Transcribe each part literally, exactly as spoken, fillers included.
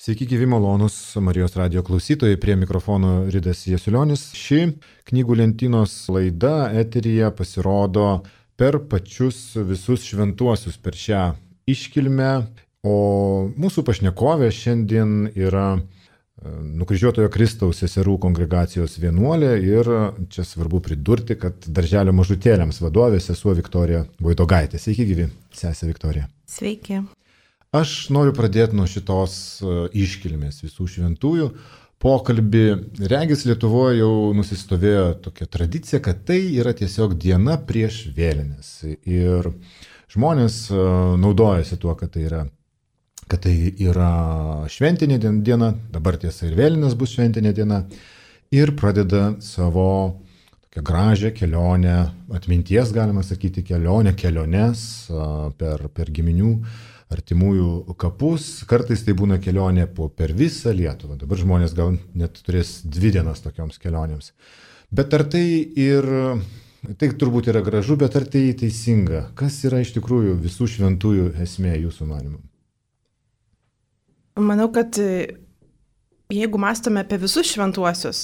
Sveiki, gyvi malonūs Marijos radijo klausytojai, prie mikrofono Ridas Jasiulionis. Ši knygų lentynos laida eteryje pasirodo per pačius visus šventuosius per šią iškilmę, o mūsų pašnekovė šiandien yra Nukryžiuotojo Kristaus seserų kongregacijos vienuolė ir čia svarbu pridurti, kad darželio mažutėliams vadovė sesuo Viktorija Voidogaitė. Sveiki, gyvi, sesė Viktorija. Sveiki. Aš noriu pradėti nuo šitos iškilmės visų šventųjų. Pokalbį regis Lietuvoje jau nusistovėjo tokia tradicija, kad tai yra tiesiog diena prieš vėlines. Ir žmonės naudojasi tuo, kad tai yra, kad tai yra šventinė diena, dabar tiesa ir vėlinės bus šventinė diena, ir pradeda savo tokią gražią kelionę, atminties galima sakyti kelionę, keliones per, per giminių artimųjų kapus, kartais tai būna kelionė po per visą Lietuvą. Dabar žmonės gal net turės dvi dienas tokioms kelionėms. Bet ar tai ir, tai turbūt yra gražu, bet ar tai teisinga? Kas yra iš tikrųjų visų šventųjų esmė jūsų manymu? Manau, kad jeigu mąstome apie visus šventuosius,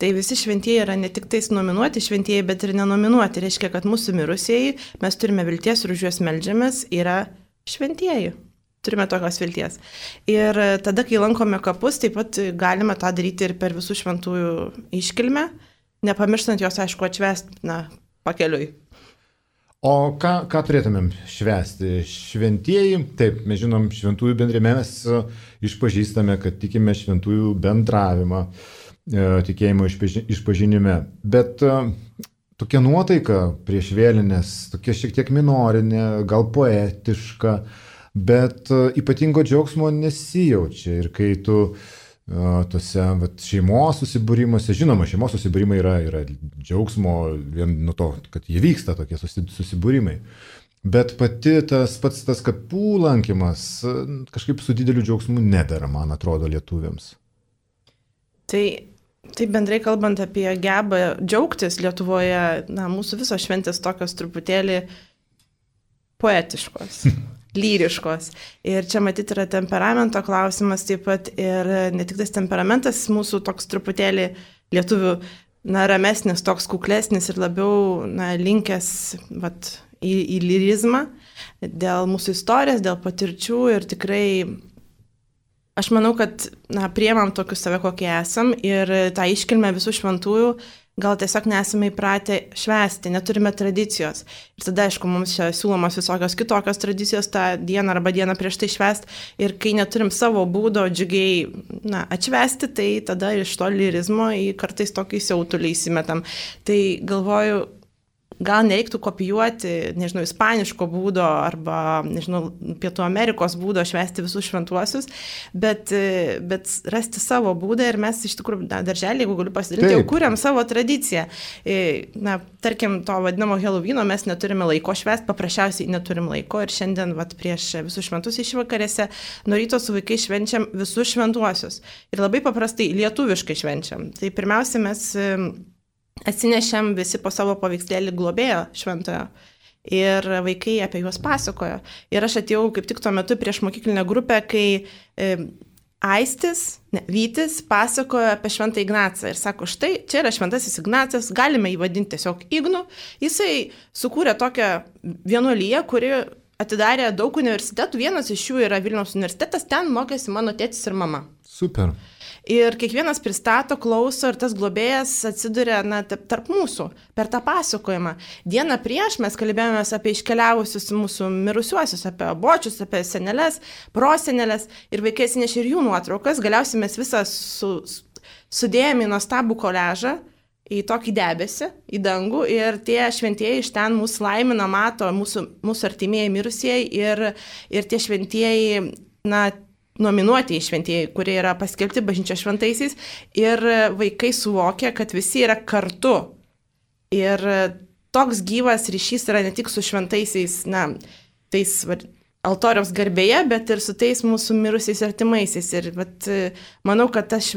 tai visi šventieji yra ne tik tais nominuoti šventieji, bet ir nenominuoti. Reiškia, kad mūsų mirusieji, mes turime vilties ir už juos meldžiamės, yra šventieji. Turime tokios vilties. Ir tada, kai lankome kapus, taip pat galime tą daryti ir per visų šventųjų iškilmę, nepamirštant jos, aišku, atšvęsti, na, pakeliui. O ką, ką turėtumėm švęsti? Šventieji, taip, mes žinom šventųjų bendrime, mes išpažįstame, kad tikime šventųjų bendravimą, tikėjimo išpažinime. Bet tokia nuotaika prieš vėlines, tokia šiek tiek minorinė, gal poetiška, bet ypatingo džiaugsmo nesijaučia. Ir kai tu tose vat, šeimos susibūrimuose, žinoma, šeimos susibūrimai yra, yra džiaugsmo vien nuo to, kad jie vyksta tokie susibūrimai. Bet pati tas pats tas kapų lankymas kažkaip su dideliu džiaugsmu nedara, man atrodo, lietuviams. Tai, tai bendrai kalbant apie gebą džiaugtis Lietuvoje, na, mūsų visos šventės tokios truputėlį poetiškos. Lyriškos. Ir čia matyti yra temperamento klausimas taip pat ir ne tik tas temperamentas mūsų toks truputėlį lietuvių, na, ramesnis, toks kuklesnis ir labiau, na, linkęs vat, į, į lyrizmą dėl mūsų istorijos, dėl patirčių ir tikrai aš manau, kad, na, priemam tokius save, kokie esam ir tą iškilmę visų šventųjų gal tiesiog nesame įpratę švęsti, neturime tradicijos. Ir tada, aišku, mums čia siūlomos visokios kitokios tradicijos tą dieną arba dieną prieš tai švęsti. Ir kai neturim savo būdo džiugiai, na, atšvęsti, tai tada iš to lyrizmo į kartais tokį siautulį įsimetam. Tai galvoju, gal nereiktų kopijuoti, nežinau, ispaniško būdo arba, nežinau, Pietų Amerikos būdo švęsti visus šventuosius, bet, bet rasti savo būdą ir mes iš tikrųjų, na, darželį, jeigu galiu pasidalinti, jau kuriam savo tradiciją. Na, tarkim, to vadinamo Helovyno mes neturime laiko švęsti, paprasčiausiai neturim laiko ir šiandien, vat, prieš visus šventus išvakarėse, nuo ryto su vaikai švenčiam visus šventuosius. Ir labai paprastai lietuviškai švenčiam. Tai pirmiausia, mes atsinešėm visi po savo paveikslėlį globėjo šventojo ir vaikai apie juos pasakojo. Ir aš atėjau kaip tik tuo metu prieš mokyklinę grupę, kai e, Aistis, ne, Vytis pasakojo apie šventą Ignacą ir sako, štai, čia yra šventasis Ignacas, galime jį vadinti tiesiog Ignu. Jisai sukūrė tokią vienuoliją, kuri atidarė daug universitetų, vienas iš jų yra Vilniaus universitetas, ten mokėsi mano tėtis ir mama. Super. Ir kiekvienas pristato, klauso ir tas globėjas atsiduria, na, tarp mūsų per tą pasakojimą. Dieną prieš mes kalbėjomės apie iškeliavusius mūsų mirusiuosius, apie bočius, apie seneles, proseneles ir vaikai atsinešė ir jų nuotraukas. Galiausiai mes visą su, sudėjome į nuostabų koležą, į tokį debesį, į dangų ir tie šventieji iš ten mūsų laimina, mato mūsų, mūsų artimieji mirusieji ir, ir tie šventieji, na, nominuotieji šventieji, kurie yra paskelbti bažnyčios šventaisiais ir vaikai suvokia, kad visi yra kartu. Ir toks gyvas ryšys yra ne tik su šventaisiais, na, tais altoriaus garbėje, bet ir su tais mūsų mirusiais artimaisiais. Ir vat, manau, kad tas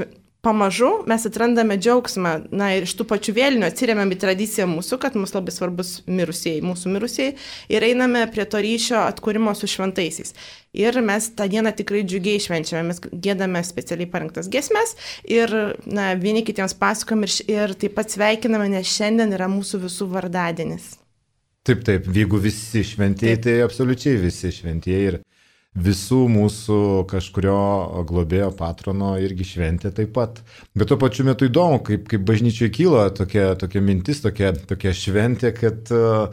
pamažu mes atrandame džiaugsmą, na ir iš tų pačių vėlinių atsiriamėm į tradiciją mūsų, kad mums labai svarbus mirusieji, mūsų mirusieji, ir einame prie to ryšio atkūrimo su šventaisiais. Ir mes tą dieną tikrai džiugiai švenčiame, mes gėdame specialiai parinktas giesmes ir na, vieni kitiems pasakom ir, ir taip pat sveikiname, nes šiandien yra mūsų visų vardadienis. Taip, taip, jeigu visi šventieji, tai absoliučiai visi šventieji ir visų mūsų kažkurio globėjo patrono irgi šventė taip pat. Bet tuo pačiu metu įdomu, kaip, kaip bažnyčioje kyla tokia, tokia mintis, tokia, tokia šventė, kad uh,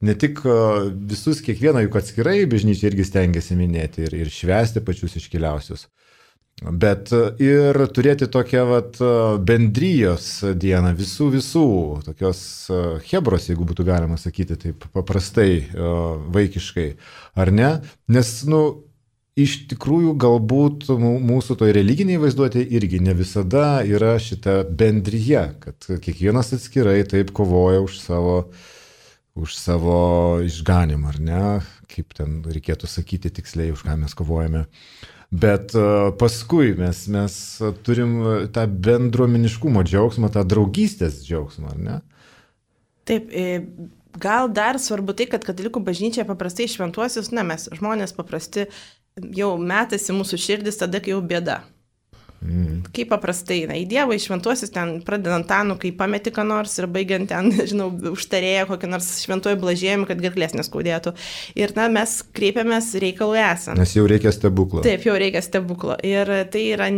ne tik uh, visus kiekvieną juk atskirai bažnyčia irgi stengiasi minėti ir, ir švęsti pačius iškiliausius. Bet ir turėti tokią vat, bendrijos dieną, visų visų, tokios hebros, jeigu būtų galima sakyti taip paprastai, vaikiškai, ar ne? Nes, nu, iš tikrųjų galbūt mūsų toj religiniai vaizduotė irgi ne visada yra šita bendryje, kad kiekvienas atskirai taip kovoja už savo, už savo išganimą, ar ne? Kaip ten reikėtų sakyti tiksliai, už ką mes kovojame. Bet paskui mes, mes turim tą bendruomeniškumo džiaugsmą, tą draugystės džiaugsmą, ar ne? Taip, gal dar svarbu tai, kad katalikų bažnyčia paprastai šventuosius, na mes žmonės paprasti jau metasi mūsų širdis tada, kai jau bėda. Mm. Kaip paprastai, na, į Dievą, į šventuosius ten pradedant Tanu, kai pameti ką nors ir baigiant ten, žinau, užtarėję kokį nors šventuoju blažėjimą, kad gerklės neskaudėtų. Ir, na, mes kreipiamės reikalui esant. Nes jau reikia stebuklo. Taip, jau reikia stebuklo. Ir tai yra,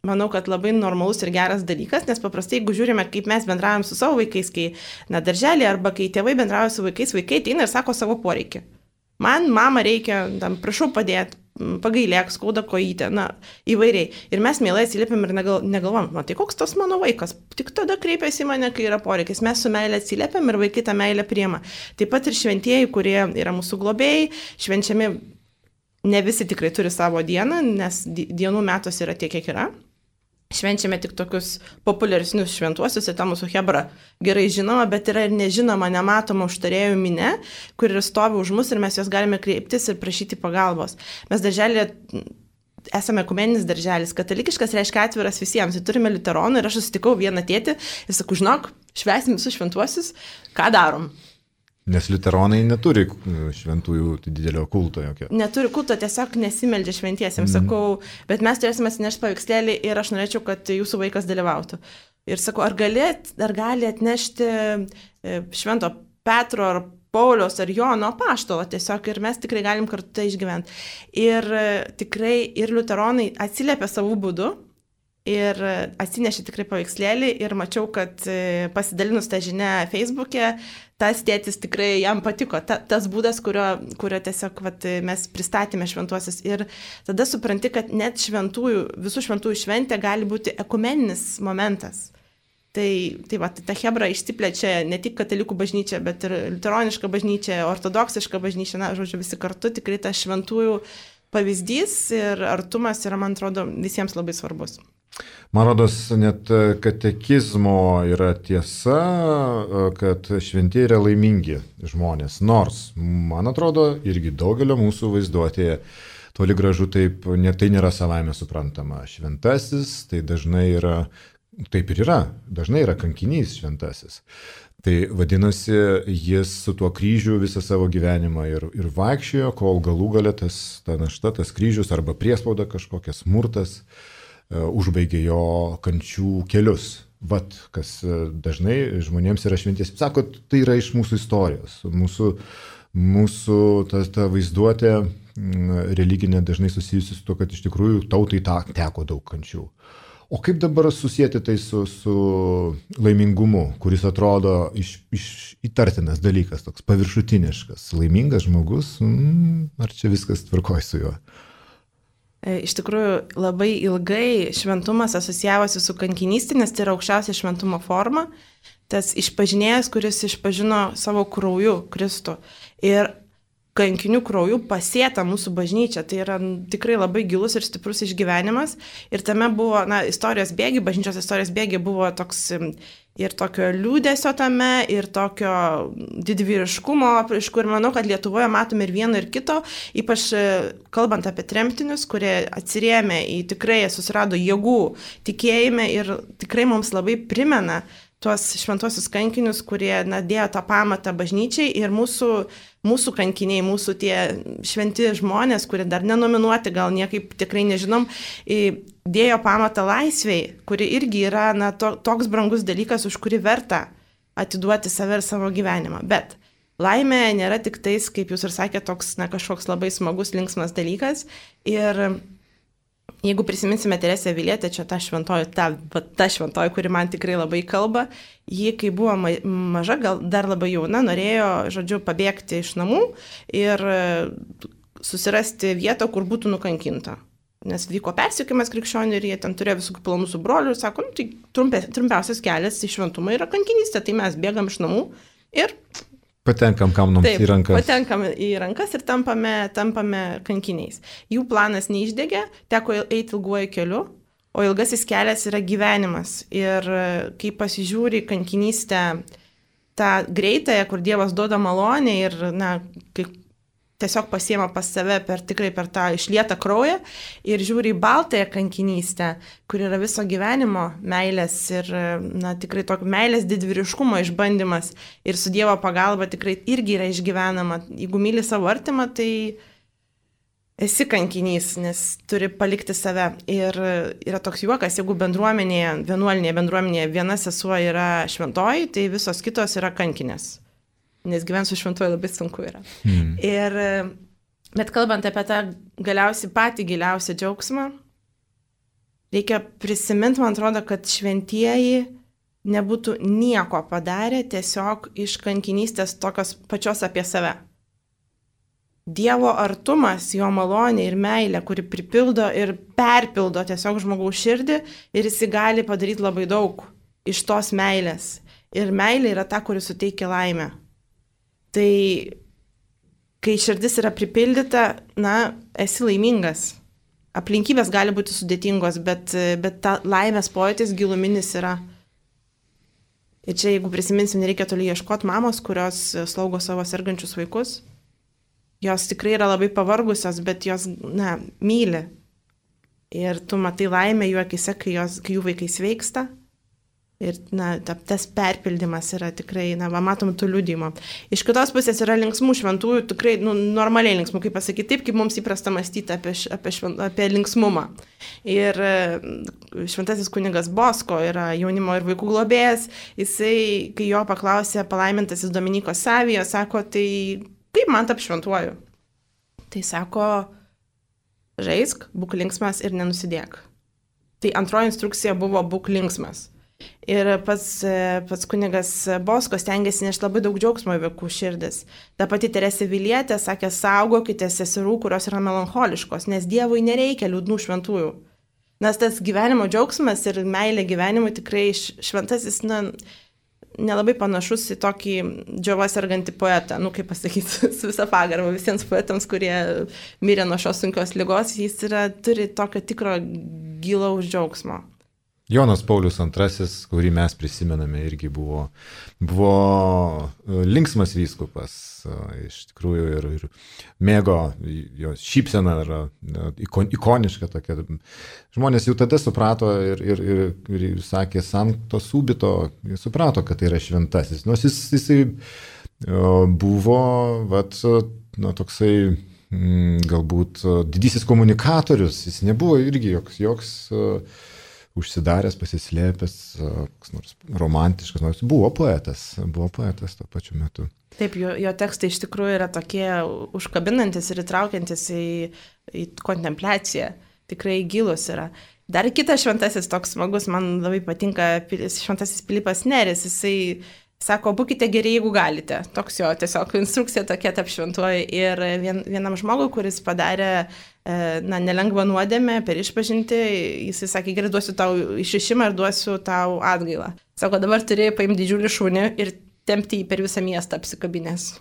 manau, kad labai normalus ir geras dalykas, nes paprastai, jeigu žiūrime, kaip mes bendraujam su savo vaikais, kai, na, darželį arba kai tėvai bendrauja su vaikais, vaikai ateina ir sako savo poreikį. Man, mama, reikia, tam, prašau padėti, pagailėk, skauda kojytę, na, įvairiai. Ir mes mielai atsiliepiam ir negal, negalvom, na, tai koks tas mano vaikas, tik tada kreipiasi į mane, kai yra poreikis. Mes su meilė atsiliepiam ir vaikai tą meilę priima. Taip pat ir šventieji, kurie yra mūsų globėjai, švenčiami, ne visi tikrai turi savo dieną, nes dienų metos yra tiek, kiek yra. Švenčiame tik tokius populiaresnius šventuosius, ir ta mūsų hebra gerai žinoma, bet yra ir nežinoma, nematoma užtarėjų minė, kur ir stovi už mus ir mes jos galime kreiptis ir prašyti pagalbos. Mes darželė esame ekumeninis darželis, katalikiškas reiškia atviras visiems, ir turime liuteronų ir aš susitikau vieną tėtį ir sakau, žinok, švęsim visus šventuosius, ką darom? Nes liuteronai neturi šventųjų didelio kulto jokio. Neturi kulto, tiesiog nesimeldžia šventiesiems, mm. sakau, bet mes turėsime atsinešti paveikslėlį ir aš norėčiau, kad jūsų vaikas dalyvautų. Ir sakau, ar gali, ar gali atnešti švento Petro ar Pauliaus ar Jono apaštalo tiesiog ir mes tikrai galim kartu tai išgyventi. Ir tikrai ir liuteronai atsiliepia savų būdų. Ir atsinešė tikrai paveikslėlį ir mačiau, kad pasidalinus tą žinią Facebook'e, tas tėtis tikrai jam patiko, ta, tas būdas, kurio, kurio tiesiog vat, mes pristatėme šventuosius. Ir tada supranti, kad net šventųjų, visų šventųjų šventė gali būti ekumeninis momentas. Tai, tai va, ta hebra išsiplečia ne tik katalikų bažnyčia, bet ir liuteroniška bažnyčia, ortodoksiška bažnyčia, na, žodžiu, visi kartu tikrai tas šventųjų pavyzdys ir artumas yra, man atrodo, visiems labai svarbus. Man rodos, net katekizmo yra tiesa, kad šventieji yra laimingi žmonės, nors, man atrodo, irgi daugelio mūsų vaizduotėje toli gražu taip, ne, tai nėra savaime suprantama. Šventasis, tai dažnai yra, taip ir yra, dažnai yra kankinys šventasis. Tai vadinasi, jis su tuo kryžiu visą savo gyvenimą ir, ir vaikščiojo, kol galų gale tas, ta našta, tas kryžius arba priespauda kažkokia smurtas užbaigė jo kančių kelius. Vat, kas dažnai žmonėms yra šventies. Sako, tai yra iš mūsų istorijos. Mūsų, mūsų ta, ta vaizduotė religinė dažnai susijusi su to, kad iš tikrųjų tautai ta, teko daug kančių. O kaip dabar susijęti tai su, su laimingumu, kuris atrodo iš, iš įtartinas dalykas, toks paviršutiniškas. Laimingas žmogus, mm, ar čia viskas tvarkoj su juo? Iš tikrųjų, labai ilgai šventumas asocijavosi su kankinystė, nes tai yra aukščiausia šventumo forma. Tas išpažinėjas, kuris išpažino savo krauju Kristų. Ir kankinių krauju pasėta mūsų bažnyčia. Tai yra tikrai labai gilus ir stiprus išgyvenimas. Ir tame buvo, na, istorijos bėgi, bažnyčios istorijos bėgi buvo toks ir tokio liūdesio tame, ir tokio didvyriškumo, iš kur manau, kad Lietuvoje matome ir vieno, ir kito, ypač kalbant apie tremtinius, kurie atsirėmė į tikrai susirado jėgų tikėjime ir tikrai mums labai primena tuos šventuosius kankinius, kurie na, dėjo tą pamatą bažnyčiai ir mūsų, mūsų kankiniai, mūsų tie šventi žmonės, kurie dar nenominuoti, gal niekaip tikrai nežinom, dėjo pamatą laisvei, kuri irgi yra na, to, toks brangus dalykas, už kurį verta atiduoti save ir savo gyvenimą. Bet laimė nėra tik tais, kaip jūs ir sakėte, toks na, kažkoks labai smagus, linksmas dalykas. Ir jeigu prisiminsime Teresę Avilietę, čia ta šventoji, ta, ta šventoji, kuri man tikrai labai kalba, ji, kai buvo maža, gal dar labai jauna, norėjo, žodžiu, pabėgti iš namų ir susirasti vietą, kur būtų nukankinta. Nes vyko persikėjimas krikščionių ir jie ten turėjo visų planų su broliu ir sako, nu, tai trumpia, trumpiausias kelias į šventumą yra kankinystė, tai mes bėgam iš namų ir patenkam kam nors į rankas. Patenkam į rankas ir tampame, tampame kankiniais. Jų planas neišdegė, teko eiti ilguoju keliu, o ilgasis kelias yra gyvenimas. Ir kai pasižiūri kankinystę tą greitąją, kur Dievas duoda malonę ir na, kai tiesiog pasiema pas save per, tikrai per tą išlietą kraują ir žiūri į baltąją kankinystę, kur yra viso gyvenimo meilės ir na, tikrai tokio meilės didvyriškumo išbandymas ir su Dievo pagalba tikrai irgi yra išgyvenama. Jeigu myli savo artimą, tai esi kankinys, nes turi palikti save. Ir yra toks juokas, jeigu bendruomenėje, vienuolinėje bendruomenėje viena sesuo yra šventoji, tai visos kitos yra kankinės. Nes gyventi su šventuoju labai sunku yra. Hmm. Ir, bet kalbant apie tą galiausiai patį giliausią džiaugsmą, reikia prisiminti, man atrodo, kad šventieji nebūtų nieko padarę tiesiog iš kankinystės tokios pačios apie save. Dievo artumas, jo malonė ir meilė, kuri pripildo ir perpildo tiesiog žmogaus širdį ir jis gali padaryti labai daug iš tos meilės. Ir meilė yra ta, kuri suteikia laimę. Tai kai širdis yra pripildyta, na, esi laimingas. Aplinkybės gali būti sudėtingos, bet, bet ta laimės pojūtis giluminis yra. Ir čia, jeigu prisiminsim, nereikia toli ieškoti mamos, kurios slaugo savo sergančius vaikus. Jos tikrai yra labai pavargusios, bet jos, na, myli. Ir tu matai laimę jų akise, kai, jos, kai jų vaikai sveiksta. Ir na, tas perpildymas yra tikrai, na, va, matom tų liudijimo. Iš kitos pusės yra linksmų šventųjų, tikrai nu, normaliai linksmų, kaip pasakyti, taip, kaip mums įprasta mąstyti apie, apie, švent, apie linksmumą. Ir šventasis kunigas Bosko yra jaunimo ir vaikų globėjas, jisai, kai jo paklausė palaimintasis Dominiko Savijo, sako, tai kaip man tap šventuoju? Tai sako, žaisk, būk linksmas ir nenusidėk. Tai antroji instrukcija buvo būk linksmas. Ir pats, pats kunigas Bosko stengiasi nešti labai daug džiaugsmo į vaikų širdis. Ta pati Teresė Avilietė sakė, saugokite seserų, kurios yra melancholiškos, nes Dievui nereikia liūdnų šventųjų. Nes tas gyvenimo džiaugsmas ir meilė gyvenimui tikrai šventasis, na, nelabai panašus į tokį džiova sergantį poetą. Nu, kaip pasakyti, su visą pagarbą visiems poetams, kurie mirė nuo šios sunkios ligos, jis yra, turi tokio tikro gilaus džiaugsmo. Jonas Paulius antrasis, kurį mes prisimename, irgi buvo, buvo linksmas vyskupas, iš tikrųjų ir, ir mėgo, jo šypsena yra ikoniška tokia. Žmonės jau tada suprato ir, ir, ir, ir sakė, Sancto Subito, suprato, kad tai yra šventasis. Nors jis, jisai buvo, vat, na, toksai galbūt didysis komunikatorius, jis nebuvo irgi joks, joks užsidaręs, pasislėpęs, koks nors romantiškas, nors buvo poetas, buvo poetas tuo pačiu metu. Taip, jo, jo tekstai iš tikrųjų yra tokie užkabinantis ir įtraukiantis į, į kontempliaciją, tikrai gilus yra. Dar kitas šventasis toks smagus, man labai patinka šventasis Pilypas Neris, jisai sako, būkite geri, jeigu galite. Toks jo tiesiog instrukcija tokia tap šventuoji. Ir vien, vienam žmogui, kuris padarė na, nelengvą nuodėmę per išpažinti, jisai sakė, gerai, duosiu tau išrišimą ir duosiu tau atgailą. Sako, dabar turėjai paimti didžiulį šunį ir tempti jį per visą miestą apsikabinės.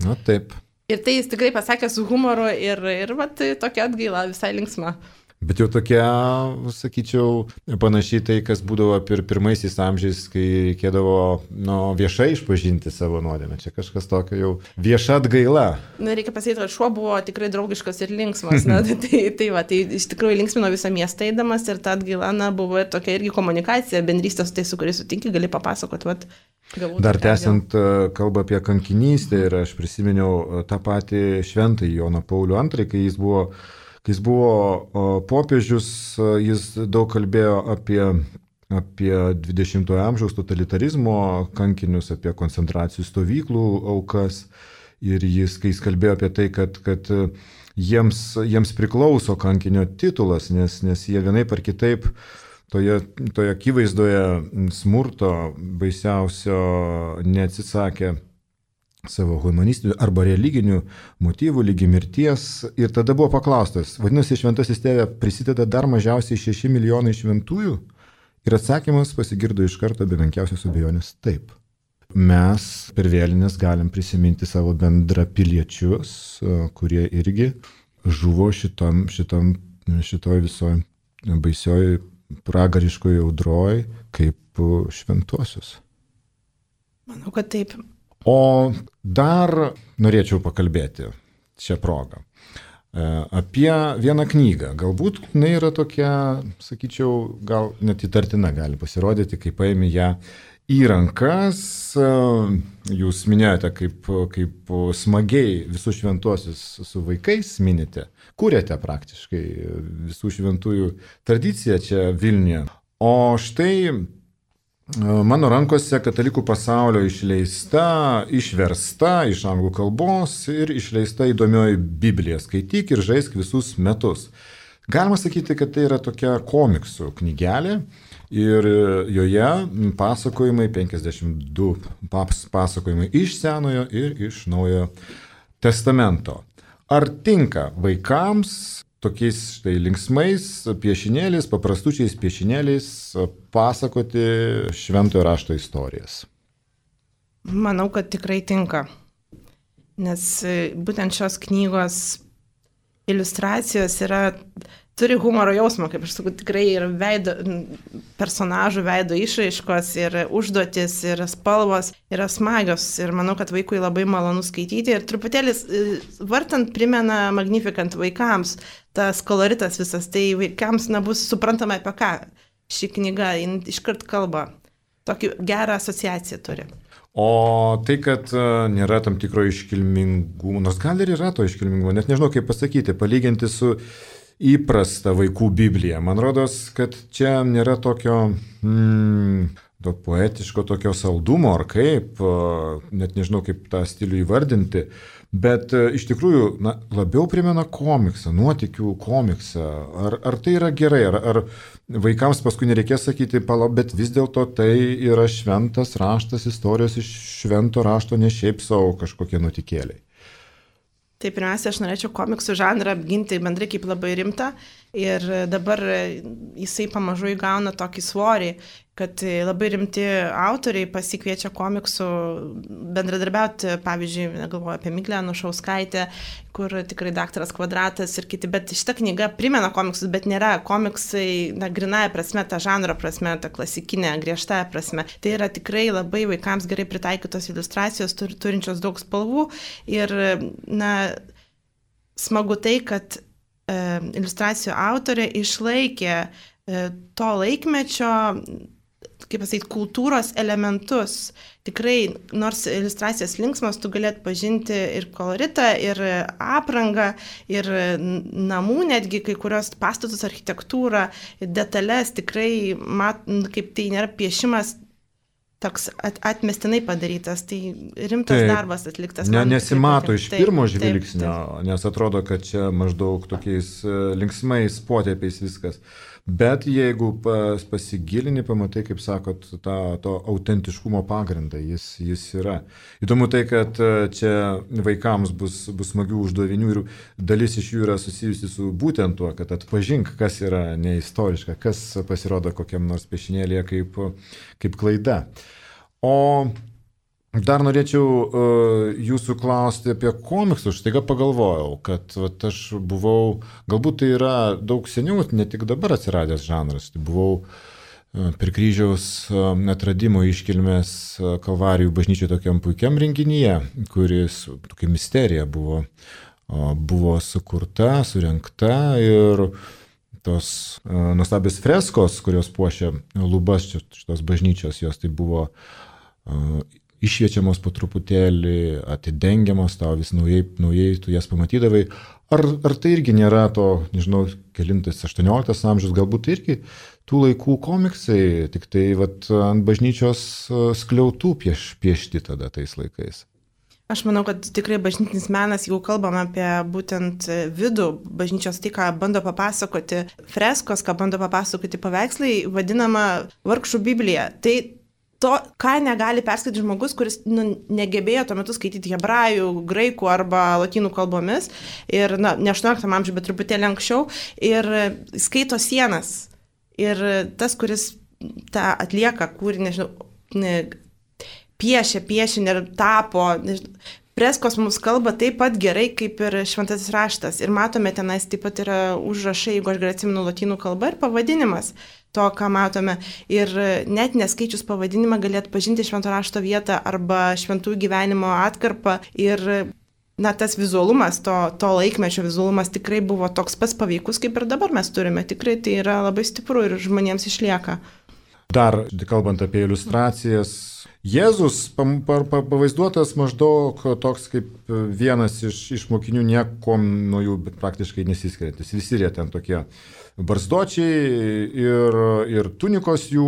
Na taip, Ir tai jis tikrai pasakė su humoru ir, ir vat, tokia atgaila visai linksma. Bet jau tokia, sakyčiau, panašiai tai, kas būdavo pir, pirmaisiais amžiais, kai reikėdavo nu, viešai išpažinti savo nuodėmę. Čia kažkas tokio jau vieša atgaila. Na, reikia pasakyti, kad šuo buvo tikrai draugiškas ir linksmas. Na, tai, tai, va, tai iš tikrųjų linksmino visą miestą eidamas ir ta atgaila na, buvo ir tokia irgi komunikacija, bendrystė su tai, su kuriais sutinki, gali papasakoti. Vat, Dar tęsiant kalbą apie kankinystę ir aš prisiminiau tą patį šventąjį Joną Paulių antrąjį, kai jis buvo Kai jis buvo popiežius, jis daug kalbėjo apie, apie dvidešimtojo amžiaus totalitarizmo kankinius, apie koncentracijų stovyklų aukas. Ir jis, kai jis kalbėjo apie tai, kad, kad jiems, jiems priklauso kankinio titulas, nes, nes jie vienaip ar kitaip toje, toje akivaizdoje smurto baisiausio neatsisakė savo humanistinių arba religinių motyvų lygi mirties. Ir tada buvo paklaustas, vadinasi, šventasis tėve prisideda dar mažiausiai šeši milijonai šventųjų? Ir atsakymas pasigirdo iš karto be menkiausios abejonės taip. Mes per vėlines galim prisiminti savo bendrapiliečius, kurie irgi žuvo šitam, šitam, šitoj visoje baisioje pragariškoje audroje kaip šventuosius. Manau, kad taip. O dar norėčiau pakalbėti šią progą apie vieną knygą. Galbūt jinai yra tokia, sakyčiau, gal net įtartina gali pasirodyti, kai paimi ją į rankas. Jūs minėjote, kaip, kaip smagiai visus šventuosius su vaikais minite, kūrėte praktiškai visų šventųjų tradiciją čia Vilniuje. O štai mano rankose Katalikų pasaulio išleista, išversta iš anglų kalbos ir išleista įdomioji Biblija. Skaityk ir žaisk visus metus. Galima sakyti, kad tai yra tokia komiksų knygelė ir joje pasakojimai, penkiasdešimt du pasakojimai iš Senojo ir iš Naujojo testamento. Ar tinka vaikams tokiais štai linksmais piešinėliais, paprastučiais piešinėliais pasakoti šventojo rašto istorijas? Manau, kad tikrai tinka. Nes būtent šios knygos iliustracijos yra, turi humoro jausmą, kaip aš sakau, tikrai ir veido, personažų veido išraiškos, ir užduotis, ir spalvos yra smagios. Ir manau, kad vaikui labai malonu skaityti. Ir truputėlis vartant primena Magnificant vaikams. Tas koloritas visas, tai vaikams na, bus suprantama apie ką ši knyga iškart kalba. Tokį gerą asociaciją turi. O tai, kad nėra tam tikro iškilmingumo, nors gal ir yra to iškilmingumo, net nežinau kaip pasakyti, palyginti su įprasta vaikų Biblija. Man rodos, kad čia nėra tokio mm, to poetiško tokio saldumo, ar kaip, net nežinau kaip tą stilių įvardinti, bet iš tikrųjų na, labiau primena komiksą, nuotykių komiksą. Ar, ar tai yra gerai, ar, ar vaikams paskui nereikės sakyti, palauk, bet vis dėlto tai yra šventas raštas, istorijos iš švento rašto, ne šiaip savo kažkokie nutikėliai. Tai pirmiausia, aš norėčiau komiksų žanrą apginti bendrai kaip labai rimtą ir dabar jisai pamažu įgauna tokį svorį, kad labai rimti autoriai pasikviečia komiksų bendradarbiauti, pavyzdžiui, galvoju apie Miglę Anušauskaitę, kur tikrai daktaras Kvadratas ir kiti, bet šita knyga primena komiksus, bet nėra komiksai, na, grynąja prasme, ta žanro prasme, ta klasikinė, griežtąja prasme. Tai yra tikrai labai vaikams gerai pritaikytos iliustracijos, tur, turinčios daug spalvų ir, na, smagu tai, kad e, iliustracijų autorė išlaikė e, to laikmečio, kaip pasakyti, kultūros elementus. Tikrai, nors iliustracijos linksmos, tu galėt pažinti ir koloritą, ir aprangą, ir namų netgi, kai kurios pastatus, architektūrą, detalės, tikrai, mat, kaip tai nėra piešimas toks at, atmestinai padarytas, tai rimtas taip, darbas atliktas. Ne, nesimato iš taip, pirmo žvilgsnio, taip, taip. Nes atrodo, kad čia maždaug tokiais linksmais potėpiais viskas. Bet jeigu pas, pasigilini, pamatai, kaip sakot, tą, to autentiškumo pagrindą, jis, jis yra. Įdomu tai, kad čia vaikams bus, bus smagių uždavinių ir dalis iš jų yra susijusi su būtent tuo, kad atpažink, kas yra neistoriška, kas pasirodo kokiam nors piešinėlėje kaip, kaip klaida. O Dar norėčiau uh, jūsų klausti apie komiksus. Štaiga pagalvojau, kad vat, aš buvau, galbūt tai yra daug seniau, ne tik dabar atsiradęs žanras. Tai buvau uh, per kryžiaus uh, atradimo iškilmės uh, Kalvarijų bažnyčioje tokiam puikiam renginyje, kuris tokia misterija buvo, uh, buvo sukurta, surengta ir tos uh, nuostabios freskos, kurios puošia lubas šitos bažnyčios, jos tai buvo uh, išviečiamos po truputėlį, atidengiamos, tau vis naujai, naujai tu jas pamatydavai. Ar, ar tai irgi nėra to, nežinau, kelintas aštuonioliktas amžius, galbūt tai irgi tų laikų komiksai, tik tai vat, ant bažnyčios skliautų pieš, piešti tada tais laikais? Aš manau, kad tikrai bažnytinis menas, jeigu kalbam apie būtent vidų bažnyčios, tai, ką bando papasakoti freskos, ką bando papasakoti paveikslai, vadinama vargšų Biblija. Tai to, ką negali perskaityti žmogus, kuris nu, negebėjo tuo metu skaityti hebrajų, graikų arba lotynų kalbomis, ir na, ne aštuonioliktam amžiuje, bet truputėlį anksčiau, ir skaito sienas. Ir tas, kuris tą atlieka, kūrį, nežinau, ne, piešia, piešinį ir tapo, nežinau, freskos mums kalba taip pat gerai, kaip ir šventasis raštas. Ir matome, tenais taip pat yra užrašai, jeigu aš gerai atsimenu, lotynų kalba ir pavadinimas to, ką matome. Ir net neskaičius pavadinimą gali atpažinti švento rašto vietą arba šventųjų gyvenimo atkarpą. Ir na, tas vizualumas, to, to laikmečio vizualumas tikrai buvo toks pats paveikus, kaip ir dabar mes turime. Tikrai tai yra labai stipru ir žmonėms išlieka. Dar, kalbant apie iliustracijas, Jėzus pavaizduotas maždaug toks kaip vienas iš, iš mokinių, niekom nuo jų praktiškai nesiskiriantis. Visi jie ten tokie barzdočiai ir, ir tunikos jų,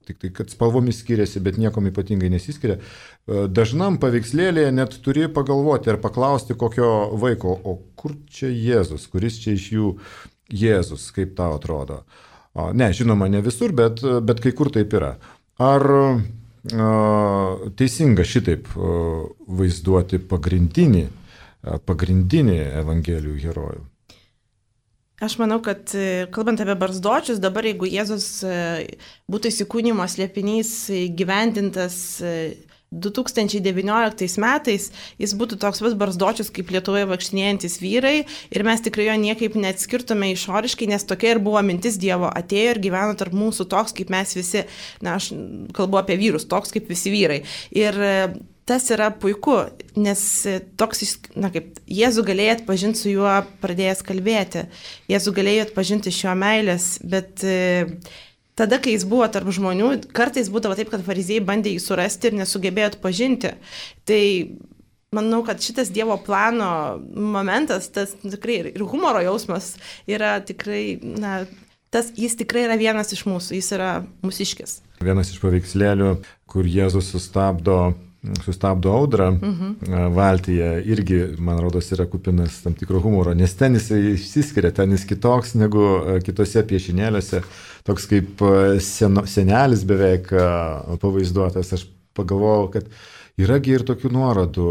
tik tai kad spalvomis skiriasi, bet niekom ypatingai nesiskiria. Dažnam paveikslėlėje net turi pagalvoti ar paklausti kokio vaiko, o kur čia Jėzus, kuris čia iš jų Jėzus, kaip tau atrodo. Ne, žinoma, ne visur, bet, bet kai kur taip yra. Ar a, teisinga šitaip a, vaizduoti pagrindinį, a, pagrindinį Evangelijų herojų? Aš manau, kad kalbant apie barzdočius, dabar jeigu Jėzus būtų įsikūnijimo slėpinys gyvendintas du tūkstančiai devynioliktais metais, jis būtų toks vas barzdočius kaip Lietuvoje vaikštinėjantis vyrai ir mes tikrai jo niekaip neatskirtume išoriškai, nes tokia ir buvo mintis Dievo, atėjo ir gyveno tarp mūsų toks kaip mes visi, na aš kalbu apie vyrus, toks kaip visi vyrai. Ir tas yra puiku, nes toks, na kaip, Jėzų galėjai atpažinti su juo pradėjęs kalbėti, Jėzų galėjai atpažinti šio meilės, bet tada, kai jis buvo tarp žmonių, kartais būdavo taip, kad fariziejai bandė jį surasti ir nesugebėjo atpažinti. Tai manau, kad šitas Dievo plano momentas, tas tikrai ir humoro jausmas yra tikrai, na, tas, jis tikrai yra vienas iš mūsų, jis yra mūsiškis. Vienas iš paveikslėlių, kur Jėzus sustabdo sustabdo audrą mhm. valtyje, irgi, man rodos, yra kupinas tam tikro humoro, nes ten jis išsiskiria, ten jis kitoks negu kitose piešinėliuose, toks kaip seno, senelis beveik pavaizduotas. Aš pagalvojau, kad yragi ir tokių nuorodų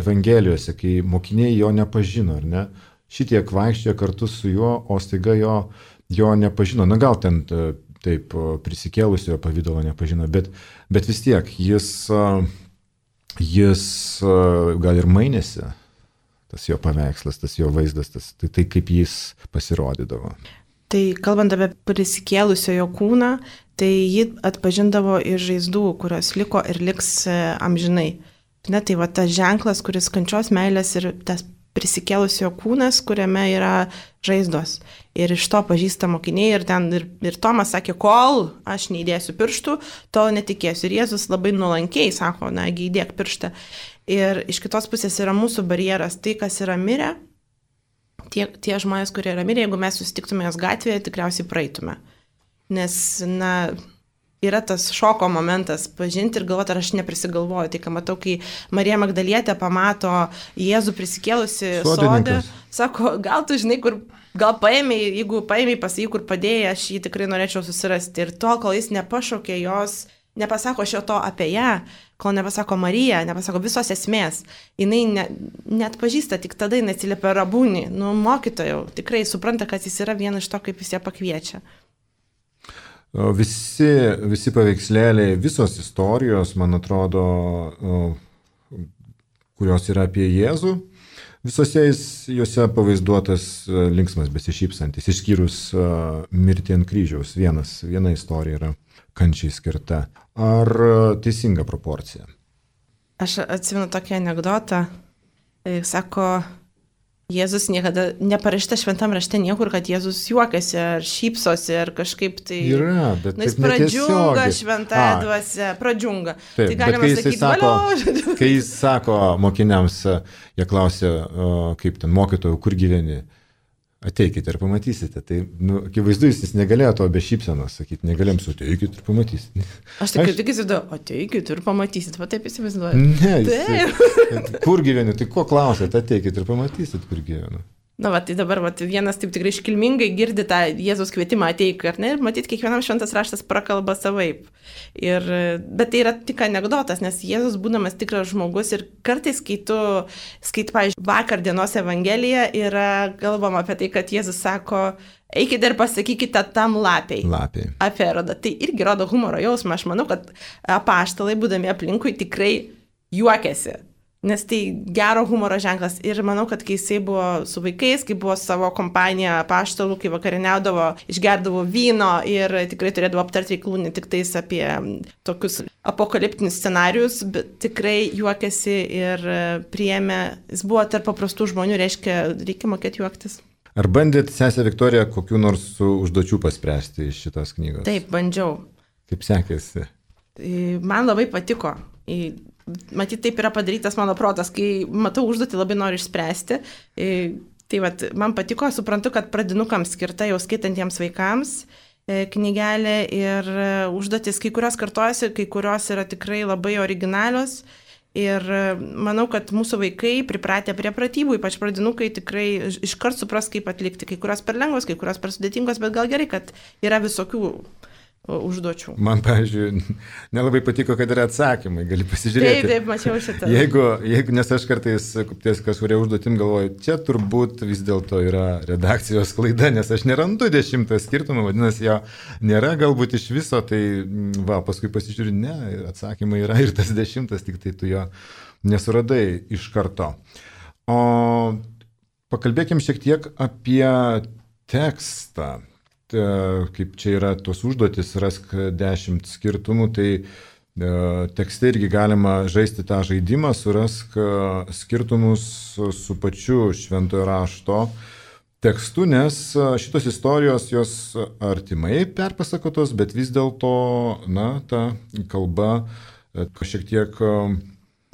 Evangelijose, kai mokiniai jo nepažino, ar ne? Šitiek vaikščiojo kartu su juo, o staiga jo, jo nepažino. Na gal ten taip prisikėlusiojo pavydalo nepažino, bet, bet vis tiek jis... Jis gal ir mainėsi, tas jo paveikslas, tas jo vaizdas, tas, tai, tai kaip jis pasirodydavo. Tai kalbant apie prisikėlusiojo kūną, tai jį atpažindavo iš žaizdų, kurios liko ir liks amžinai. Ne, tai va tas ženklas, kuris kančios meilės ir tas prisikėlusiojo kūnas, kuriame yra žaizdos. Ir iš to pažįsta mokiniai ir, ten, ir, ir Tomas sakė, kol aš neįdėsiu pirštų, tol netikėsiu. Ir Jėzus labai nuolankiai sako, nagi įdėk pirštą. Ir iš kitos pusės yra mūsų barjeras, tai kas yra mirę, tie, tie žmonės, kurie yra mirę, jeigu mes susitiktume jos gatvėje, tikriausiai praeitume. Nes, na... yra tas šoko momentas pažinti ir galvoti, ar aš neprisigalvoju. Tai ką matau, kai Marija Magdalietė pamato Jėzų prisikėlusi sode, sako, gal tu žinai, kur, gal paėmei, jeigu paėmei pasakai, kur padėjai, aš jį tikrai norėčiau susirasti. Ir tol, kol jis nepašaukė jos, nepasako šio to apie ją, kol nepasako Marija, nepasako visos esmės, jinai ne, net pažįsta, tik tada jinai atsiliepia Rabūnį, nu mokytojau, tikrai supranta, kad jis yra vienas iš to, kaip jis ją pakviečia. Visi, visi paveikslėliai, visos istorijos, man atrodo, kurios yra apie Jėzų, visose juose pavaizduotas linksmas, besišypsantis, išskyrus mirtį ant kryžiaus. Vienas, viena istorija yra kančiai skirta. Ar teisinga proporcija? Aš atsimenu tokį anekdotą. Sako, Jėzus niekada neparašyta šventam rašte niekur, kad Jėzus juokiasi ar šypsosi ar kažkaip tai... Yra, bet nu, jis pradžiunga šventąją dvasią, pradžiunga. Taip, tai galima sakyti, sako, kai jis sako mokiniams, jie klausia, kaip ten mokytojų, kur gyveni, ateikite ir pamatysite. Tai, nu, akivaizdu, jis negalėjo to be šypsenos sakyti, negalėjom su ateikite ir pamatysite. Aš tik tik įsivaizduoju, ateikite ir pamatysite, va taip įsivaizduoju. Ne, jis, kur gyveni, tai ko klausėte, ateikite ir pamatysite, kur gyvenu. Na, va, tai dabar va, vienas taip tikrai iškilmingai girdi tą Jėzaus kvietimą ateik, ar ne, ir matyt, kiekvienam šventas raštas prakalba savaip. Ir, bet tai yra tik anekdotas, nes Jėzus būdamas tikras žmogus ir kartais, kai tu skaitai, pavyzdžiui, vakar dienos Evangeliją, yra kalbama apie tai, kad Jėzus sako, eikite ir pasakykite tam lapiai. Lapiai. Apie Erodą. Tai irgi rodo humoro jausmą. Aš manau, kad apaštalai, būdami aplinkui, tikrai juokiasi. Nes tai gero humoro ženklas. Ir manau, kad kai jisai buvo su vaikais, kai buvo savo kompanija apaštalų, kai vakarieniaudavo, išgerdavo vyno ir tikrai turėdavo aptarti reikalų ne tik tais apie tokius apokaliptinius scenarius, bet tikrai juokėsi ir priėmė. Jis buvo tarp paprastų žmonių, reiškia, reikia mokėti juoktis. Ar bandėt, sesė Viktorija, kokių nors užduočių paspręsti iš šitos knygos? Taip, bandžiau. Kaip sekėsi? Man labai patiko. Matyt, taip yra padarytas mano protas, kai matau užduotį, labai noriu išspręsti. Tai vat, man patiko, suprantu, kad pradinukams skirta jau skaitantiems vaikams knygelė ir užduotis, kai kurios kartojasi, kai kurios yra tikrai labai originalios. Ir manau, kad mūsų vaikai pripratę prie pratybų, ypač pradinukai, tikrai iškart supras, kaip atlikti. Kai kurios per lengvos, kai kurios per sudėtingos, bet gal gerai, kad yra visokių užduočių. Man, pavyzdžiui, nelabai patiko, kad yra atsakymai, gali pasižiūrėti. Taip, taip, mačiau šitą. Jeigu, jeigu nes aš kartais ties kažkuria užduotim galvoju, čia turbūt vis dėlto yra redakcijos klaida, nes aš nerandu dešimtą skirtumą, vadinasi, jo nėra galbūt iš viso, tai va, paskui pasižiūriu, ne, atsakymai yra ir tas dešimtas, tik tai tu jo nesuradai iš karto. O pakalbėkim šiek tiek apie tekstą. Kaip čia yra tos užduotis, rask dešimt skirtumų, tai tekste irgi galima žaisti tą žaidimą, surask skirtumus su pačiu šventojo rašto tekstu, nes šitos istorijos jos artimai perpasakotos, bet vis dėlto, na, ta kalba šiek tiek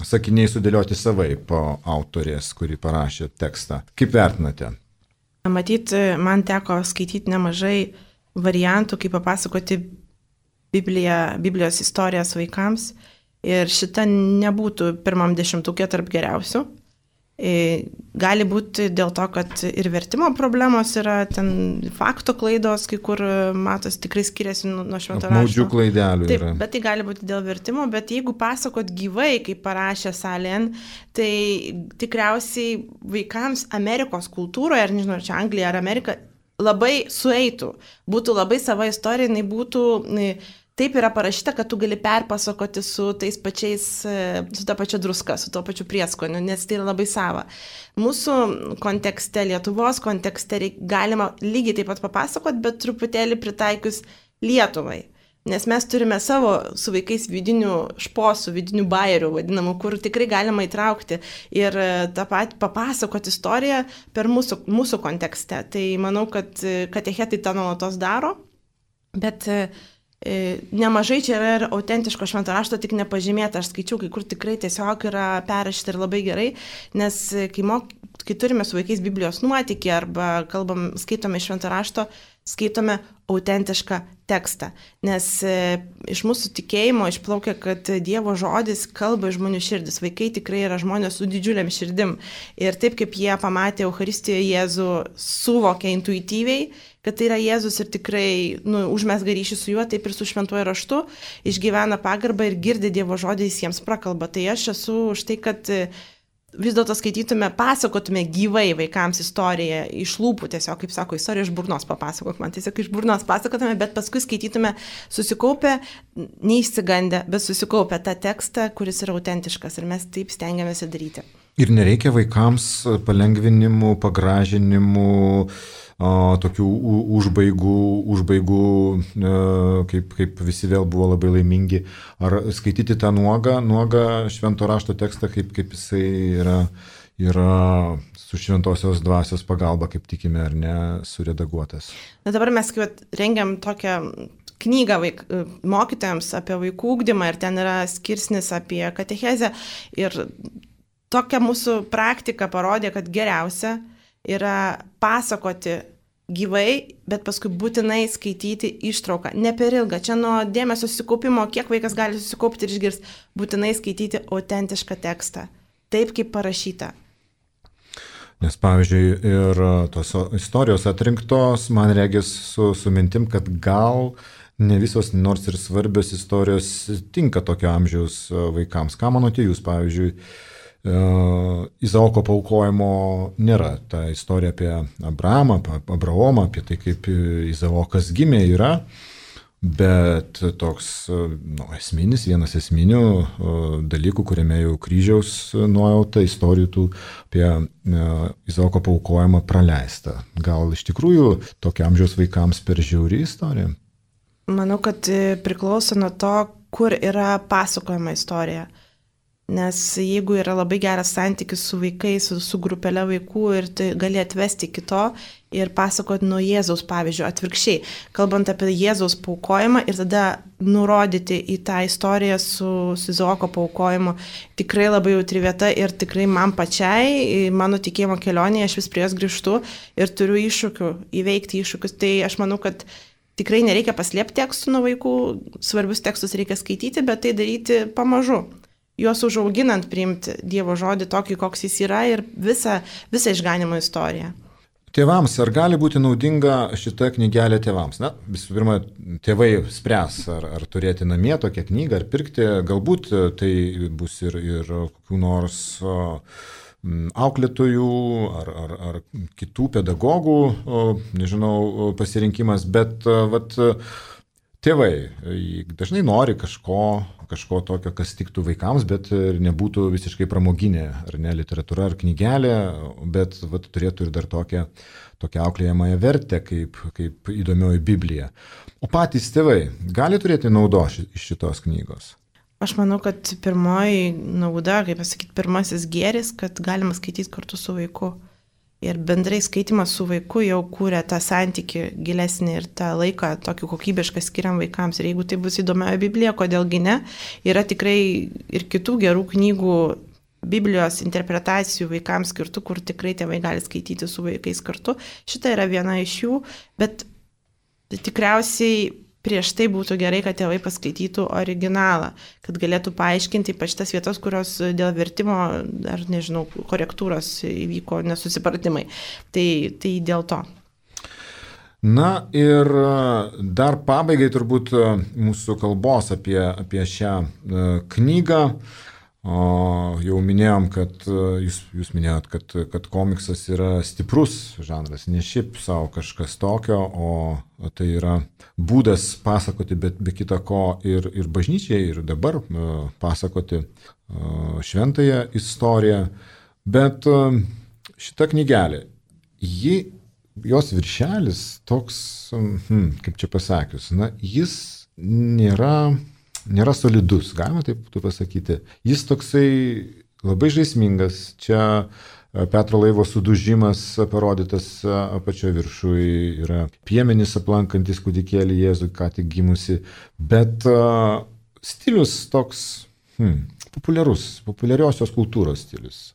sakiniai sudėlioti savaip autorės, kuri parašė tekstą. Kaip vertinate? Matyt, man teko skaityti nemažai variantų, kaip papasakoti Bibliją, Biblijos istorijas vaikams ir šita nebūtų pirmam dešimtukė tarp geriausių. Gali būti dėl to, kad ir vertimo problemos yra, ten fakto klaidos, kai kur matos tikrai skiriasi nuo švento rašto. Apmaudžių klaidelių yra. Taip, bet tai gali būti dėl vertimo, bet jeigu pasakot gyvai, kaip parašė Salen, tai tikriausiai vaikams Amerikos kultūroje, ar nežinau, ar čia Anglija ar Amerika, labai sueitų. Būtų labai sava istorija, jinai būtų... Taip yra parašyta, kad tu gali perpasakoti su tais pačiais, su ta pačia druska, su tuo pačiu prieskoniu, nes tai yra labai sava. Mūsų kontekste, Lietuvos kontekste galima lygiai taip pat papasakoti, bet truputėlį pritaikius Lietuvai. Nes mes turime savo su vaikais vidinių šposų, vidinių bairių, vadinamų, kur tikrai galima įtraukti ir tą patį papasakoti istoriją per mūsų, mūsų kontekste. Tai manau, kad katechetai tą nuolatos daro, bet... Nemažai čia yra ir autentiško švento rašto, tik nepažymėta. Aš skaičiau, kai kur tikrai tiesiog yra perrašyta ir labai gerai, nes kai, mok, kai turime su vaikais Biblijos nuotykį arba kalbam, skaitome švento rašto, skaitome autentišką tekstą. Nes e, iš mūsų tikėjimo išplaukia, kad Dievo žodis kalba iš žmonių širdis. Vaikai tikrai yra žmonės su didžiuliam širdim. Ir taip kaip jie pamatė Eucharistijoje Jėzų, suvokė intuityviai, kad tai yra Jėzus ir tikrai nu, užmesga ryšį su juo, taip ir su šventuoju raštu, išgyvena pagarbą ir girdi Dievo žodį, jis jiems prakalba. Tai aš esu už tai, kad vis dėlto skaitytume, pasakotume gyvai vaikams istoriją iš lūpų, tiesiog, kaip sako, istoriją iš burnos papasakok man, tiesiog iš burnos pasakotume, bet paskui skaitytume susikaupę, neįsigandę, bet susikaupę tą tekstą, kuris yra autentiškas ir mes taip stengiamės daryti. Ir nereikia vaikams palengvinimų, pagražinimų, o, tokių užbaigų, užbaigų kaip, kaip visi vėl buvo labai laimingi. Ar skaityti tą nuogą, nuogą švento rašto tekstą, kaip, kaip jisai yra, yra su šventosios dvasios pagalba, kaip tikime ar ne, suredaguotas. Na dabar mes kaip rengiam tokią knygą vaik, mokytojams apie vaikų ugdymą ir ten yra skirsnis apie katechezę ir tokia mūsų praktika parodė, kad geriausia yra pasakoti gyvai, bet paskui būtinai skaityti ištrauką. Ne per ilgą. Čia nuo dėmesio susikaupimo, kiek vaikas gali susikaupti ir išgirsti, būtinai skaityti autentišką tekstą. Taip, kaip parašyta. Nes, pavyzdžiui, ir tos istorijos atrinktos, man regis su, su mintim, kad gal ne visos, nors ir svarbios istorijos tinka tokio amžiaus vaikams. Ką manote jūs, pavyzdžiui, Izaoko paaukojimo nėra. Ta istorija apie Abrahamą, Abraomą, apie tai, kaip Izaokas gimė yra, bet toks nu, esminis, vienas esminių dalykų, kuriame jau kryžiaus nuojauta istorijų tų apie Izaoko paaukojimą praleista. Gal iš tikrųjų tokio amžiaus vaikams per žiauri istorija? Manau, kad priklauso nuo to, kur yra pasakojama istorija. Nes jeigu yra labai geras santykis su vaikais, su, su grupelė vaikų ir tai gali atvesti iki to ir pasakoti nuo Jėzaus pavyzdžio atvirkščiai, kalbant apie Jėzaus paaukojimą ir tada nurodyti į tą istoriją su, su Izaoko paaukojimu, tikrai labai jautri vieta ir tikrai man pačiai, mano tikėjimo kelionėje, aš vis prie jos grįžtu ir turiu iššūkių, įveikti iššūkius. Tai aš manau, kad tikrai nereikia paslėpti tekstų nuo vaikų, svarbius tekstus reikia skaityti, bet tai daryti pamažu. Juos užauginant priimti Dievo žodį tokį, koks jis yra ir visą, visą išganimo istoriją. Tėvams, ar gali būti naudinga šita knygelė tėvams? Na, visų pirma, tėvai spręs, ar, ar turėti namie tokią knygą, ar pirkti. Galbūt tai bus ir, ir kokių nors auklėtojų, ar, ar, ar kitų pedagogų, nežinau, pasirinkimas, bet vat, tėvai dažnai nori kažko, kažko tokio, kas tiktų vaikams, bet nebūtų visiškai pramoginė, ar ne, literatūra ar knygelė, bet vat, turėtų ir dar tokią, tokią auklėjamąją vertę, kaip, kaip įdomioji Biblija. O patys tėvai gali turėti naudos iš šitos knygos? Aš manau, kad pirmoji nauda, kaip pasakyti, pirmasis gėris, kad galima skaityti kartu su vaiku. Ir bendrai skaitimas su vaiku jau kūrė tą santykį gilesnį ir tą laiką tokį kokybišką skiriam vaikams. Ir jeigu tai bus įdomioji Biblija, kodėlgi ne, yra tikrai ir kitų gerų knygų Biblijos interpretacijų vaikams skirtų, kur tikrai tėvai gali skaityti su vaikais kartu. Šita yra viena iš jų, bet tikriausiai prieš tai būtų gerai, kad tėvai paskaitytų originalą, kad galėtų paaiškinti ypač tas vietas, kurios dėl vertimo ar, nežinau, korektūros įvyko nesusipratimai. Tai, tai dėl to. Na ir dar pabaigai turbūt mūsų kalbos apie, apie šią knygą. O, jau minėjom, kad jūs, jūs minėjot, kad, kad komiksas yra stiprus žanras, ne šiaip savo kažkas tokio, o tai yra būdas pasakoti, bet be kita ko ir, ir bažnyčiai, ir dabar pasakoti šventąją istoriją. Bet šita knygelė, ji, jos viršelis toks, hmm, kaip čia pasakius, na, jis nėra... nėra solidus, galima taip pasakyti. Jis toksai labai žaismingas. Čia Petro laivo sudužimas parodytas apačioje viršui, yra piemenys aplankantis kūdikėlį Jėzų, ką tik gimusi, bet uh, stilius toks hmm, populiarus, populiariosios kultūros stilius.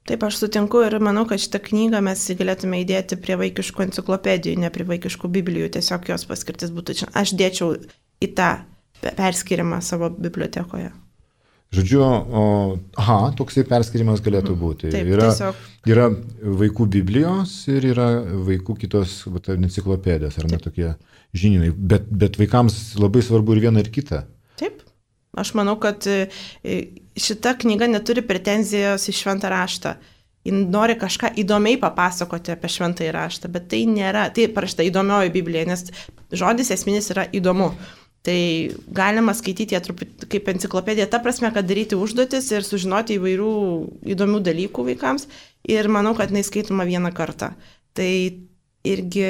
Taip, aš sutinku ir manau, kad šitą knygą mes galėtume įdėti prie vaikiškų enciklopedijų, ne prie vaikiškų biblijų, tiesiog jos paskirtis būtų čia. Aš dėčiau į tą perskirimą savo bibliotekoje. Žodžiu, o, aha, toksai perskirimas galėtų būti. Taip, yra, tiesiog. Yra vaikų biblijos ir yra vaikų kitos vat, enciklopedijos, ar ne tokie žinynai, bet, bet vaikams labai svarbu ir viena ir kita. Taip. Aš manau, kad šita knyga neturi pretenzijos į šventą raštą. Jis nori kažką įdomiai papasakoti apie šventąjį raštą, bet tai nėra, tai parašyta įdomioji Biblija, nes žodis esminis yra įdomu. Tai galima skaityti ją truputį kaip enciklopedija, ta prasme, kad daryti užduotis ir sužinoti įvairių įdomių dalykų vaikams. Ir manau, kad jinai skaitoma vieną kartą. Tai irgi...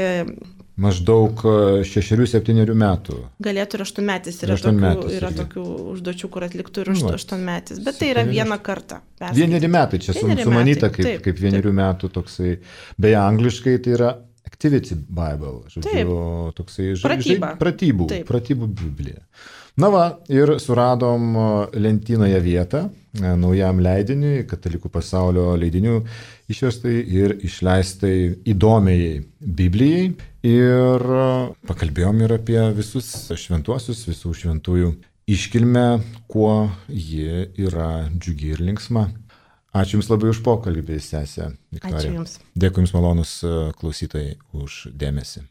Maždaug šešerių septynerių metų. Galėtų ir aštuonmetis. Yra, aštuonmetis tokių, yra tokių užduočių, kur atliktų ir aštuonmetis. Bet tai yra vieną kartą. Perskaityti. Vieneri metai, čia vieneri sumanyta metai. Kaip, taip, kaip vienerių taip. Metų toksai. Beje, angliškai tai yra Activity Bible. Žodžiu, taip. Toksai Pratyba. Žai, pratybų, taip. Pratybų Biblija. Na va, ir suradom lentynoje vietą naujam leidiniui, Katalikų pasaulio leidinių išverstai ir išleistai įdomiai Biblijai. Ir pakalbėjom ir apie visus šventuosius, visų šventųjų iškilmę, kuo ji yra džiugi ir linksma. Ačiū Jums labai už pokalbį, sesė Viktorija. Ačiū Jums. Dėkui Jums malonus klausytojai už dėmesį.